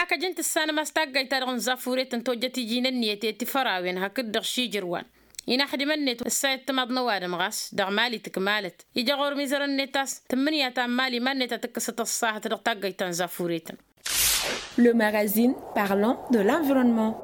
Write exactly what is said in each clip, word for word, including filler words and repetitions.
Kăjăn tǝssanăm a-s taggayt-ta-dăɣ n-zafuret n-tojjăt iji n-ǝnniyăt i-tifărawen hakd-dăɣ šijărwan. Inaxdimăn-net ǝssayăt timaḍ n-ăwadǝm ɣas dăɣ-mali tǝkmalăt. Ija ɣur-imizărăn-net a-s tǝmmǝnǝya ta n-mali iman-net a tǝkkǝsăt ăṣṣahăt dăɣ-taggayt ta n-zafuret. Le magazine parlant de l'environnement.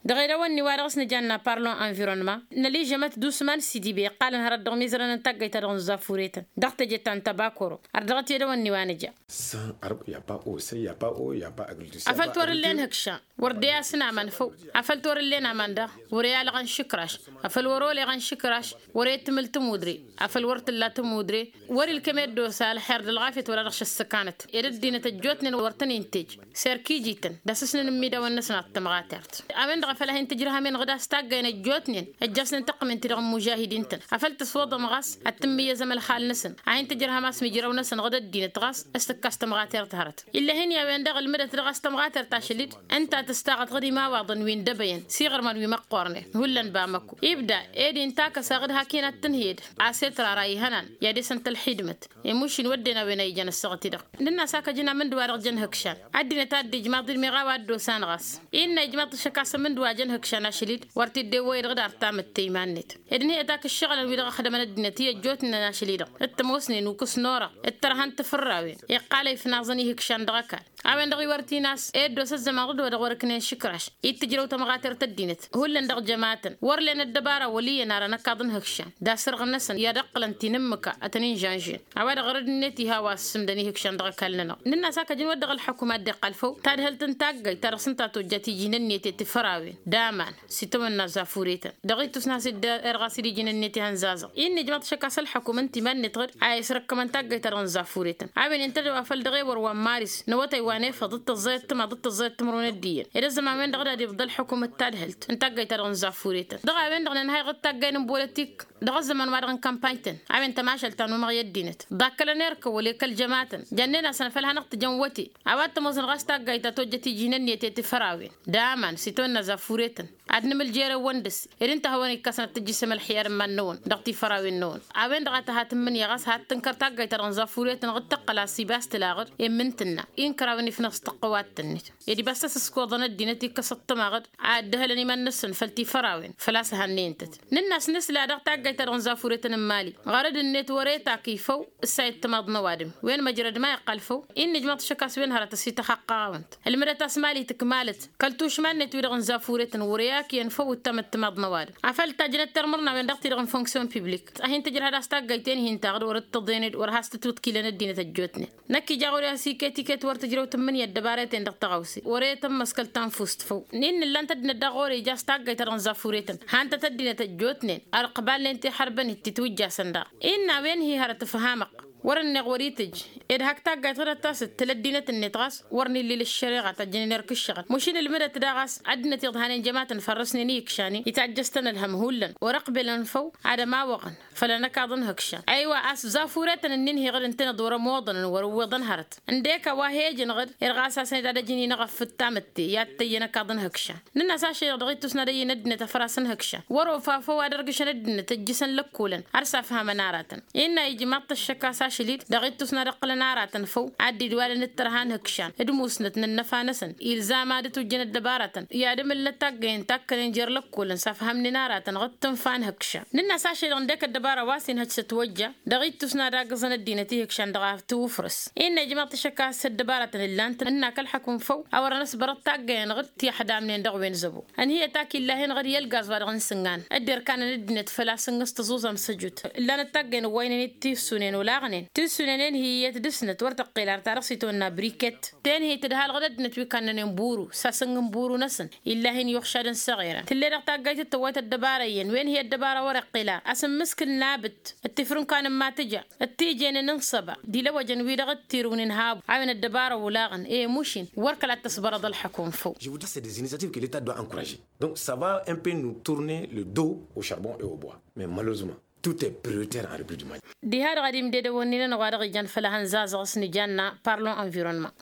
Dăɣ-edăwănni wa dăɣ-s nǝjanna parlant environnement năližămăt d-usman sidibe iqqalăn hărăt dăɣ-imizărăn n-taggayt-ta-dăɣ n-zafuret dăɣ-teje ta n-tăbakoro. Ar dăɣ-t edăwănni wa nǝja. San arb ya pa o san ya pa o ya pa agritus. Afăl torǝllen hǝkša wăr de-asǝn aman făw. Afăl torǝllen aman daɣ wăr-e alăɣăn šǝkraš. Afăl wăr-oleɣăn šǝkraš wăr-e tǝmǝl tămudre. Afăl wăr tǝlla tămudre wăr-ilkăm eddos alxer d-ălɣafyăt wăla dăɣ-šăssăkanăt. Ed ăddinăt ăjjootnen wăr tăn-intej serkijităn d-asǝsnăn n-imidawăn-năsăn ad-tămɣatert. A-wen-dăɣ a făl a hin-tǝjrăhăm-en ɣǝd a-s taggăyăn ăjjootnen ăjjasnen tăqqǝmen-ti-dăɣ n-imužahidin-tăn. Afăl tǝswăḍăm ɣas ad-tǝmmǝyyăzăm ălxal-năsăn a hin-tǝjrăhăm a-s mijraw-năsăn ɣǝd ăddinăt ɣas s-tǝkkas tămɣatert hărăt. Ill'-e hin-i a-wen-dăɣ ǝlmǝdăt dăɣ-a-s tămɣatert ašăl-dd ǝnta tǝstaɣăt ɣǝd imawaḍăn wi n-dăbăyăn s-iɣărman wi măqqornen hullan bamăkko ibda ed inta kăsa ɣǝd hak-in ad-tǝnhǝyăd a-s i-tǝrara ihănan i-ad-esăn tălxidmăt. Imušin wădden a-wen a ijăn ăssaɣăt-i-dăɣ. Nǝnn'-as a kăjăn amǝndǝwa-dăɣ jăn hǝkšan ăddinăt a dd-ijmaḍ-dd meɣ a-wa dd-osan ɣas. Innă ijmaḍ-t ăššăk a-s amǝndǝwa jăn hǝkšan ašăl-dd wăr t-dd-ewwăyăd ɣǝd artamǝtte iman-net. Ed ǝnhǝyăt ak ǝššăɣǝlăn wi dăɣ-ăxdămăn ăddinăt i-ăjjootnen ašăl-i-dăɣ t-ămoosnen ukǝs n-orăɣ d-tărha n-tifărrawen. Iqqal a ifnaẓăn ihǝkšan dăɣ-ăkall a-wen dăɣ-iwăr t-in-as eddos ăzzăman ɣǝd-wa-dăɣ wăr-ǝknen šǝkraš. I-tǝjrăw tămɣatert ăddinăt hullan dăɣ-jămatăn wăr len ăddăbara wăl' iyyăn ara n-ăkaḍ n-hǝkšan d-asărɣ-năsăn i-ad-ǝqqǝlăn tinǝmmǝka ad-tăn-inžănžen. A-wa-dăɣ ɣărăd-net iha wa ăssǝmdăn ihǝkšan dăɣ-ăkall-nănăɣ. Nǝnn'-as a kăjăn wăr dăɣ-ălḥăkum a dd-iqqal făw tadhǝlt n-taggayt ta dăɣ-s ǝnta tojjăt iji n-ǝnniyăt i-tifărawen d-aman s-itawănna zafuretăn. Dăɣ-ittus n-has-dd-erɣas d-iji n-ǝnniyăt ihăn zazăɣ. Innă ijmaḍ-t ašăk a-s ălḥăkum ǝnta iman-net ɣǝd a isrăkkămăn taggayt-ta-dăɣ n-zafuretăn. A-wen intăddew afăl dăɣ-ewăr wa n-maris n-awătay wa n-efăḍ d-tăẓẓayăt timaḍ d-tăẓẓayăt timǝrwen ăddiyyăn ed ăzzăman-wen-dăɣ d-ad-ibḍa ălḥăkum d-tadhǝlt n-taggayt-ta-dăɣ n-zafuretăn. Dăɣ-a-wen-dăɣ nǝnhăy ɣǝd taggay n-bolătik dăɣ-ăzzăman-wa-dăɣ n-kampany-tăn. A-wen tămašăl ta n-umăɣ i-ăddinăt ḍakkălăn erk ăwwăl i-kăl-jămatăn. Jănnen-asăn făl hanăɣ-tǝjăn wăte a-wa t-ămoosăn ɣas taggayt ta tojjăt iji n-ǝnniyăt i-tifărawen d-aman s-itawănna zafuretăn. Ad-nǝmǝl jere-wăn dăr-s ed ǝnta a hawăn-ikkăsnăt tǝjjǝsem ălxiyar n-iman-năwăn dăɣ-tifărawen-năwăn. A-wen-dăɣ a tăha tǝmmǝnǝya ɣas had-tǝnkăr taggayt-ta-dăɣ n-zafuretăn ɣǝd tǝqqǝl a-s iba a-s tǝla ɣǝd i-mǝntǝnna. Inkărawen ifnăɣ s-tăqqǝwat-net ed ibas a-s ǝskoḍăn ăddinăt ikkăs ăṭṭăma ɣǝd a ăddăhălăn iman-năsăn făll-tifărawen făl-a-s hannăyăn-tăt. Nǝnn'-as nǝsla dăɣ-taggayt-ta-dăɣ n-zafuretăn n-mali ɣărăd-net wăr-e takǝy făw. Ǝssayăt timaḍ n-ăwadǝm wen măjrăd ma iqqăl făw. Innă ijmaḍ-t ašăk a-s wen hărăt ăsităxaqqăɣ-awăn-t ǝlmǝdăt a-s mali tǝkmalăt kăl-tušma-net-wi-dăɣ n-zafuretăn wăr-e akǝyăn făw ǝttamăt timaḍ n-ăwadǝm. Afăl tajjănăt tărmǝrnawen dăɣ-ti-dăɣ n-fonksyon piblik a hin-tǝjrăhăd a-s taggayt-en hin-taɣǝd wăr-dd-tǝḍen ed wăr has-tǝtwǝtkilăn ăddinăt ăjjootnen. Năkk ija ɣur-i a-s iket-iket wăr tǝjrăw tǝmmǝnǝya ăddăbarăten dăɣ-tăɣawse wăr-e tămmăskăl tanfust făw. Innă ǝllan-t ăddinăt daɣ ɣur-e ija a-s taggayt-ta-dăɣ n-zafuretăn han-tăt ăddinăt ăjjootnen. Ărqbal-nen tiḥărbăn-dd titwǝjjasăn daɣ innă a-wen hi-hărăt ǝfhamăɣ wăr-ǝnneɣ wăr-itǝjj ed hak taggayt ɣǝdăt a-s ǝttǝl ăddinăt-net ɣas wăr n-illil ǝššăreɣa tajjănen erk ǝššăɣǝl mašin ǝlmǝdăt daɣ a-s ăddinăt iḍhanen jămatăn fărrăsnen i-ikšanen itajjăš-tăn ălhăm hullan wăr-ăqbelăn făw ad-ămawăɣăn. Făll-anăkaḍ n-hǝkšan aywa a-s zafuretăn ǝnnin hi-iɣǝd ǝntăneḍ wăr-ămoḍăn wăr-ǝwwiḍăn hărăt ǝndek a-wa hejăn ɣǝd irɣas a-s ned ad-ăjǝn-inăɣ ăffǝttamătte i-ad-tăyy anăkaḍ n-hǝkšan. Nǝnn'-as ašăl-i-dăɣ dăɣ-ittus n-ad-ăyy n-ăddinăt afăras n-hǝkšan wăr-ofa făw ad-ărgǝšăn ăddinăt ăjjǝsăn lăkkolăn. Ar s-afhămăn aratăn innă ijmaḍ-t ăššăk a-s ašăl-i-dd dăɣ-ittus n-ad-ǝqqǝlăn aratăn făw ad-dd-iwalăn d-tărha n-hǝkšan d-musnăt n-ănnăfa-năsăn ilzam ad-ǝtwǝjjăn ăddăbaratăn i-ad-ǝmǝllăt taggăyăn takkănen jer-lăkkolăn s-afhămnen aratăn ɣǝd tǝnfa n-hǝkšan. Nǝnn'-as ašăl-i-dăɣ ǝndek ăddăbara wa s-inhăj s-ătwăjja dăɣ-ittus n-ad-agǝẓăn ăddinăt i-hǝkšan dăɣ-a tǝwǝfrǝs. Innă ijmaḍ-t ašăk a-s ăddăbaratăn ǝllan-tăn ǝnn'-ak ălḥăkum făw a wărăn ăsbărăt taggăyăn ɣǝd ti ăḥdamnen dăɣ-wen zăbo. Ănhǝyăt ak illahen ɣǝd i-ălgaz wa dăɣ-n sǝngan dd-irkanăn ăddinăt făl-a-s ǝnnǝs tăẓuẓam s-ăjut ǝllanăt taggăyăn ăwwaynen d-tissunen olaɣnen tissunen enhǝyăt dăr-snăt wăr tăqqel ar ta dăɣ-s itwănna briket. Tenhǝy tǝdhal ɣǝd ăddinăt wi kannănen buru s-asǝng n-buru-năsăn illahen yuɣšadăn s-eɣerăn tǝlle dăɣ-taggayt d-tăwwayt ăddăbara iyyăn wi enhǝy ăddăbara wăr-iqqel ar asǝmmǝskǝl n-abǝt d-tifrǝnkan n-ma tǝja d-tijenen n-săba d-ilăwăjăn-wi-dăɣ d-tirǝwnen habu a-wen ăddăbara olaɣăn i-mušin wăr kăla t-ăsbărăḍ ălḥăkum făw. Je voudrais c'est des initiatives que l'état doit encourager. Donc ça va un peu nous tourner le dos au charbon et au bois mais malheureusement tout est prioritaire en république du mali. Diha-dăɣ ad-imded ăwănnin-anăɣ wa dăɣ-ijan făll-ehăn zazăɣ s-nijanna parlon environnement.